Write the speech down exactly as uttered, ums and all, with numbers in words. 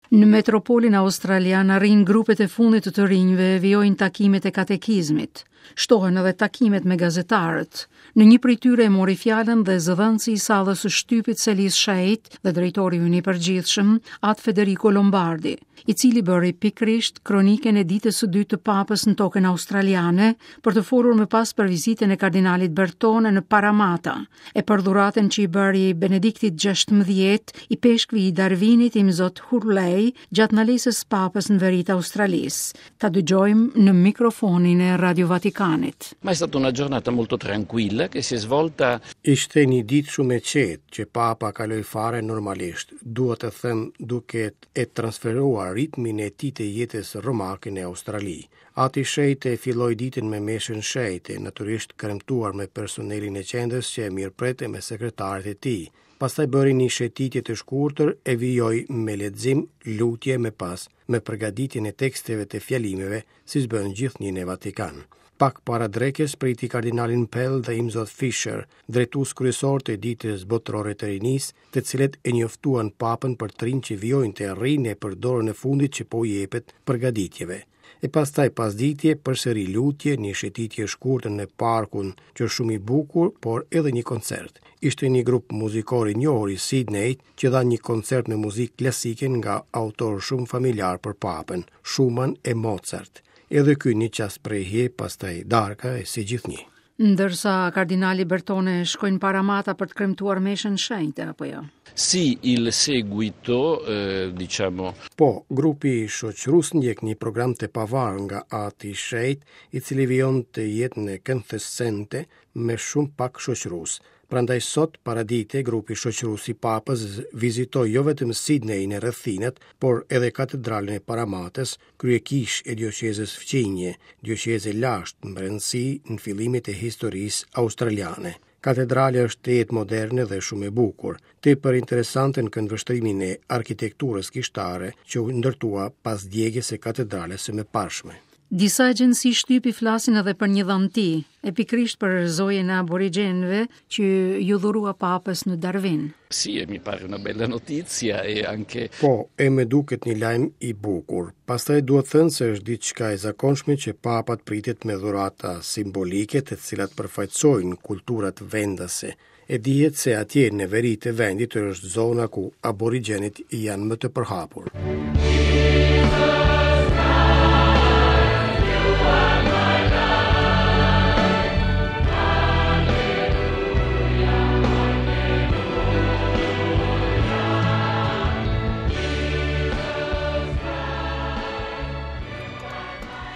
Në metropolin australian arrin grupet e fundit të të rinjve, vijojnë takimet e katekizmit. Shtohen edhe takimet me gazetarët. Në një prej tyre e mori fjalën dhe zëdhënësi i sallës së shtypit Selisë Shenjtë dhe drejtori ynë i përgjithshëm, At Federico Lombardi, i cili bëri pikërisht kronikën e ditës së dytë të papës në tokën australiane për të folur më pas për vizitën e kardinalit Bertone në Paramata, e për dhuratën që i bëri Benediktit gjashtëmbëdhjetë, ipeshkvi i Darwinit Imzot Hurley gjatë ndalesës papës në veri të Australisë. Ta dëgjojmë në mikrofonin e Radio Vatikanit. Ma è stata una giornata molto tranquilla che si è svolta. Ishte një ditë shumë e qetë që papa kaloi fare normalisht, dua të them duke e transferuar ritmin e tij të jetës romake në Australi. Ati Shenjtë filloi ditën me meshën shenjte, natyrisht kremtuar me personelin e qendrës që e mirëprete me sekretarët e tij. Pastaj bëri një shëtitje të shkurtër e vijoi me lexim, lutje me pas, me përgatitjen e teksteve të fjalimeve, siç bën gjithnjë në Vatikan. Pak para drekës priti kardinalin Pell dhe Imzot Fisher, drejtues kryesor të ditës botërore të rinisë, të cilët e njoftuan papën për të rinj që vijojnë të rrinë e për dorën e fundit që po jepet përgatitjeve. E pastaj pasditje përsëri lutje, një shëtitje e shkurtër në parkun që është shumë i bukur, por edhe një koncert. Ishte një grup muzikor i njohur i Sydney që dha një koncert me muzikë klasike nga autor shumë familjar për papën, Schumann e Mozart. Edhe ky një çast prehje, pastaj darka e si gjithnjë. Ndërsa kardinali Bertone shkoi në Paramata për të kremtuar meshën shenjte, apo jo? Sì, il seguito, eh, diciamo. Po, grupi shoqërues ndjek një program të pavarur nga Ati i Shenjtë, i cili vijon të jetë në Kensington me shumë pak shoqërues. Prandaj sot paradite grupi shoqërues i Papës vizitoi jo vetëm Sydney në rrethinat, por edhe katedralen e Paramatës, kryekish e dioqezës fqinje, dioqezë e lashtë në brendësi në fillimet e historisë australiane. Katedralja është tejet moderne dhe shumë e bukur, tepër interesante në këndvështrimin e arkitekturës kishtare që u ndërtua pas djegjes së katedrales së mëparshme. Disa agjenci shtypi flasin edhe për një dhanti, e pikërisht për zojën e aborigjenëve që ju dhurua papës në Darwin. Sì, e mi pare una bella notizia e anche. Po, e me duket një lajm i bukur. Pastaj duhet thënë se është diçka e zakonshme që papat pritet me dhurata simbolike të cilat përfaqësojnë kulturat vendase. E dihet se atje në veri të vendit është zona ku aborigjenët janë më të përhapur.